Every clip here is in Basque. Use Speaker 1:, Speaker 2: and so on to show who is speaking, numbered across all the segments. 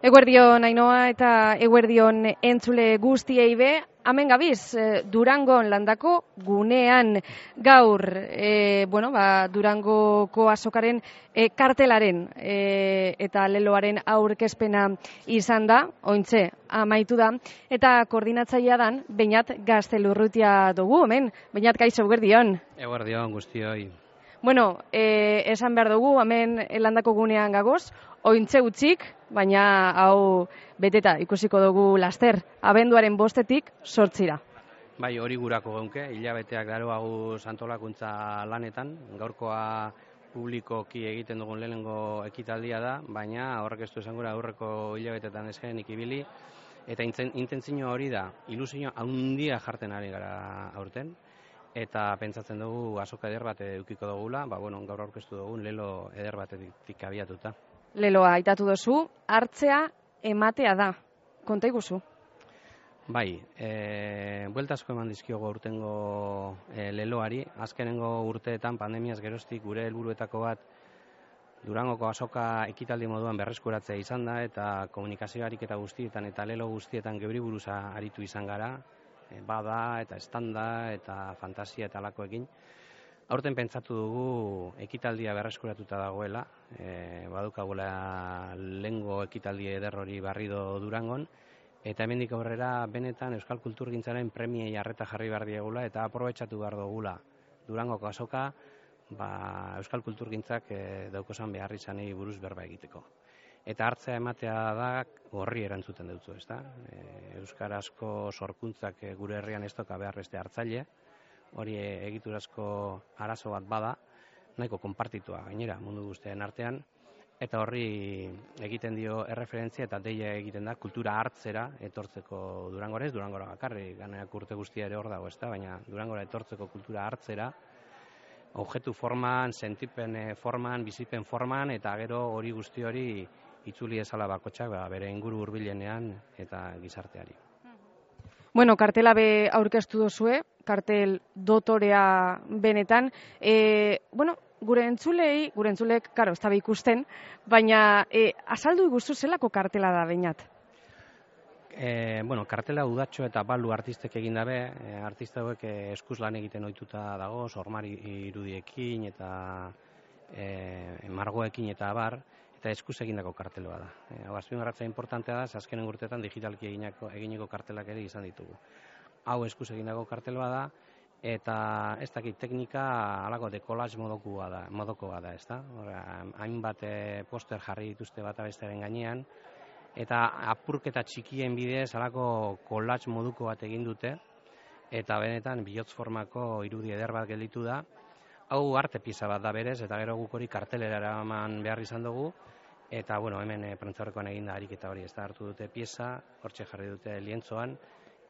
Speaker 1: Eguerdion Ainhoa eta eguerdion entzule guztiei be, hemen gabiz, Durangon landako gunean gaur, Durangoko azokaren kartelaren eta leloaren aurkezpena izan da, ointxe amaitu da, eta koordinatzailea dan, Beñat Gaztelurrutia dugu, hemen, Beñat kaixo, eguerdion.
Speaker 2: Eguerdion guztioi.
Speaker 1: Bueno, esan behar dugu, hemen landako gunean gagoz, ointxe utzik, baina hau beteta ikusiko dugu laster, abenduaren 5-tik 8-ra.
Speaker 2: Bai, hori gurako geunke, hilabeteak daroagu antolakuntza lanetan, gaurkoa publikoki egiten dugun lehenengo ekitaldia da, baina horrek ez du esan gura aurreko hilabetetan ezkenenik ibili, eta intentzio hori da, ilusio handia jarten ari gara aurten, eta pentsatzen dugu azoka eder bat edukiko dugula, gaur aurkeztu dugun lelo eder batetik abiatuta.
Speaker 1: Leloa aitatu duzu, hartzea ematea da. Konta iguzu?
Speaker 2: Bai, bueltasko eman dizkiogo urtengo leloari. Azkenengo urteetan pandemiaz geroztik gure helburuetako bat Durangoko azoka ekitaldi moduan berreskuratzea izan da, eta komunikazio ariketa guztietan eta lelo guztietan geuri buruza aritu izan gara, bada eta estanda eta fantasia eta alakoekin. Aurten pentsatu dugu ekitaldia berreskuratuta dagoela, badukagula lehengo ekitaldi eder hori barrido Durangon, eta hemendik aurrera benetan euskal kulturgintzaren premiei arreta jarri behar diegula eta aprobetxatu behar dugula Durangoko azoka euskal kulturgintzak daukozan behar izanei buruz berba egiteko. Eta hartzea ematea da horri erantzuten dutzu, ezta? Euskarazko sorkuntzak gure herrian ez doka behar beste hartzaile, hori egiturazko arazo bat bada, nahiko konpartitua gainera mundu guztien artean, eta horri egiten dio erreferentzia eta deia egiten da kultura hartzera etortzeko Durangorez, Durangora bakarri, ganeak urte guztia ere hor dago, ezta? Baina Durangora etortzeko kultura hartzera, objektu forman, sentipen forman, bizipen forman, eta gero hori guzti hori itzuli ezala bakotxak bere inguru hurbilenean eta gizarteari.
Speaker 1: Bueno, kartela be aurkeztu duzue, kartel dotorea benetan. Gure entzulek, karo, ez da ikusten, baina azaldu iguzu zelako kartela da, Beñat?
Speaker 2: Kartela udatxo eta balu artistek egin dabe, artista hauek eskuz lan egiten ohituta dago, sormari irudiekin eta margoekin eta abar, eta eskuz egindako karteloa da. Azpimarratzea importantea da, azkenen urteetan digitalki eginiko kartelak ere izan ditugu. Hau eskuz egindako karteloa da, eta ez dakit teknika alako dekolaz modokoa da, ezta? Hainbat poster jarri dituzte bata bestearen gainean, eta apurketa txikien bidez alako kolaz moduko bat egin dute, eta benetan bihotz formako irudi eder bat gelditu da. Hau arte pieza bat da berez, eta gero guk hori kartelera eraman behar izan dugu, eta hemen prentzaurrekoan egin da ariketa hori, ez da hartu dute pieza, hortxe jarri dute lientzoan,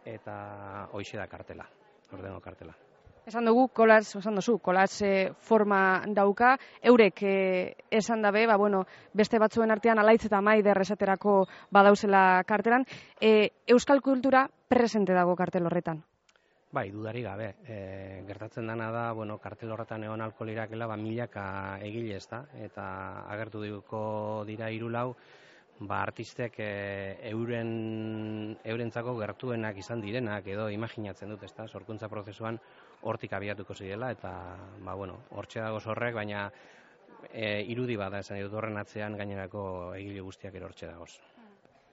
Speaker 2: eta hoixe da kartela, ordengo kartela.
Speaker 1: Esan dugu, kolaz forma dauka, eurek esan dabe, beste batzuen artean alaitz eta maider esaterako badauzela kartelan. Euskal kultura presente dago kartel horretan?
Speaker 2: Bai, dudari gabe. Gertatzen dana da, kartel horretan egon alko lirakela, milaka egile ez da, eta agertu duko dira 3-4, artistek eurentzako gertuenak izan direnak edo imaginatzen dut, ezta, sorkuntza prozesuan hortik abiatuko zirela, eta hortxe dago horrek, baina irudi bada esan dut horren atzean gainerako egile guztiak ere hortxe dagoz.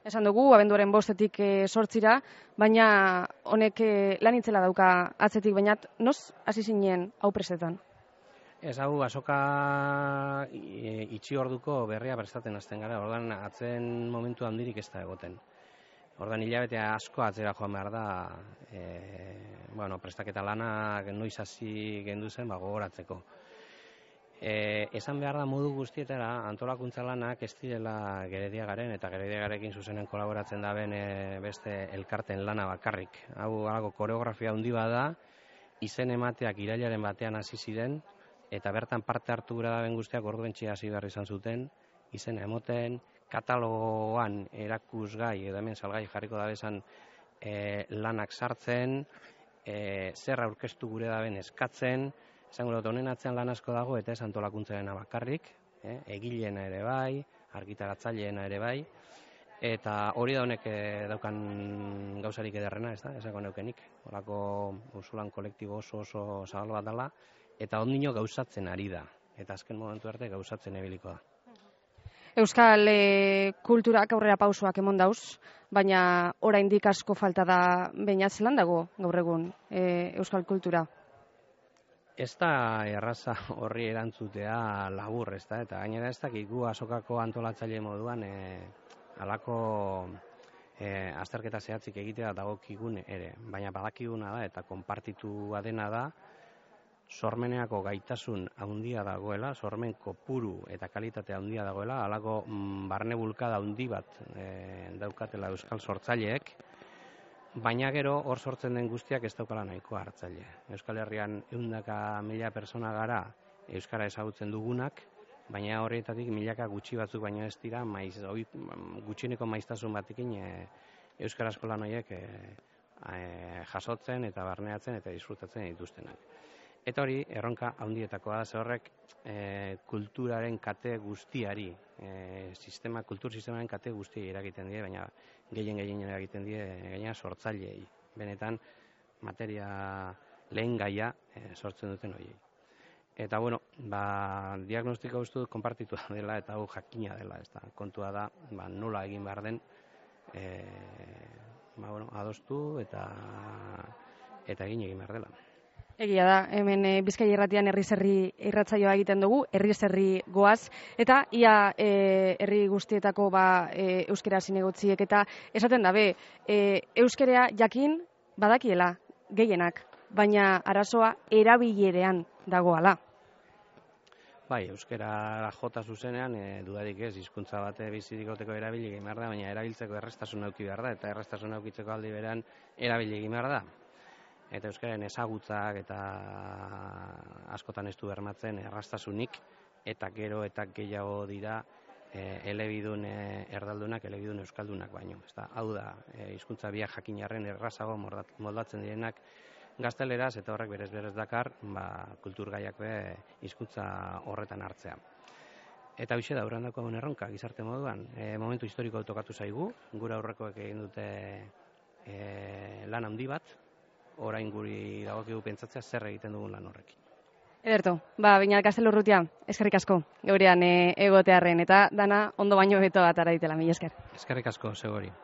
Speaker 1: Esan dugu, abenduaren 5-tik 8-ra, baina honek lan itzela dauka atzetik, baina noz hasi zinen hau prestetan?
Speaker 2: Ez hau, azoka itxi orduko berria prestatzen hasten gara, ordan atzen momentu handirik ez da egoten. Ordan hilabetea asko atzera joan behar da, prestaketa lana noiz hasi gendu zen gogoratzeko. Esan behar da modu guztietara antolakuntza lanak ez direla Gerediagaren eta Gerediagarekin zuzenen kolaboratzen daben beste elkarten lana bakarrik. Hau alako koreografia handi bada, izen emateak irailaren batean hasi ziren, eta bertan parte hartu gura daben guztiak orduentxea hasi behar izan zuten, izena emoten, katalogoan erakusgai edo hemen salgai jarriko dabezan lanak sartzen, zer aurkeztu gure daben eskatzen, esango dut honen atzean lan asko dago eta ez antolakuntzarena bakarrik, egileena ere bai, argitaratzaileena ere bai, Eta hori da honek daukan gauzarik ederrena, ez da, esako neukenik. Horako usulan kolektibo oso zabal bat dela, eta ondino gauzatzen ari da. Eta azken momentu arte gauzatzen ebiliko da.
Speaker 1: Euskal kulturak aurrera pausoak emon dauz, baina oraindik asko falta da baina zelan dago gaur egun euskal kultura?
Speaker 2: Ez da erraza horri erantzutea labur, ez da, eta gainera ez dakik gu azokako antolatzaile moduan halako azterketa zehatzik egitea dagokigun ere, baina badakiguna da eta konpartitua dena da, sormeneako gaitasun handia dagoela, sormen kopuru eta kalitate handia dagoela, halako barne bulkada handi bat daukatela euskal sortzaileek, baina gero hor sortzen den guztiak ez daukala nahikoa hartzaile. Euskal Herrian 100.000 pertsona gara euskara ezagutzen dugunak, baina horretatik milaka gutxi batzuk baino ez dira, gutxieneko maiztasun batekin euskara eskolan horiek jasotzen eta barneatzen eta disfrutatzen dituztenak. Eta hori, erronka handietakoa da, ze horrek kulturaren kate guztiari, kultur sistemaren kate guztiai eragiten die, baina gehien eragiten die gaina sortzaileei. Benetan, materia lehen gaia sortzen duten horiei. Eta, bueno, diagnostiko uste dut konpartitua dela eta hau jakina dela, ez da. Kontua da, nola egin behar den, adostu eta egin behar dela.
Speaker 1: Egia da, hemen Bizkaia Irratian herriz herri irratsaioa egiten dugu, herriz herri goaz, eta ia herri guztietako euskera zinegotziek eta esaten dabe, euskera jakin badakiela gehienak, baina arazoa erabilerean dagoala.
Speaker 2: Bai, euskara jota zuzenean, dudarik ez, hizkuntza bate bizirik goteko erabili egin behar da, baina erabiltzeko errestasun auki behar da, eta errestasun aukitzeko aldi berean erabili egin behar da. Eta euskaren ezagutzak eta askotan ez du bermatzen errastasunik, eta gero eta gehiago dira elebidun erdaldunak, elebidun euskaldunak baino. Hau da, hizkuntza biak jakinarren errazago moldatzen direnak gazteleraz, eta horrek berez dakar kulturgaiak hizkuntza horretan hartzea. Eta hoxe da, urrandako erronka, gizarte moduan, momentu historiko tokatu zaigu, gure aurrekoek egin dute lan handi bat, orain guri dagokigu pentsatzea zer egiten dugun lan horrekin.
Speaker 1: Ederto, Beñat Gaztelurrutia, eskerrik asko, geurean egotearren, eta dana ondo baino beto bat araitela, mila esker.
Speaker 2: Eskerrik asko, segori.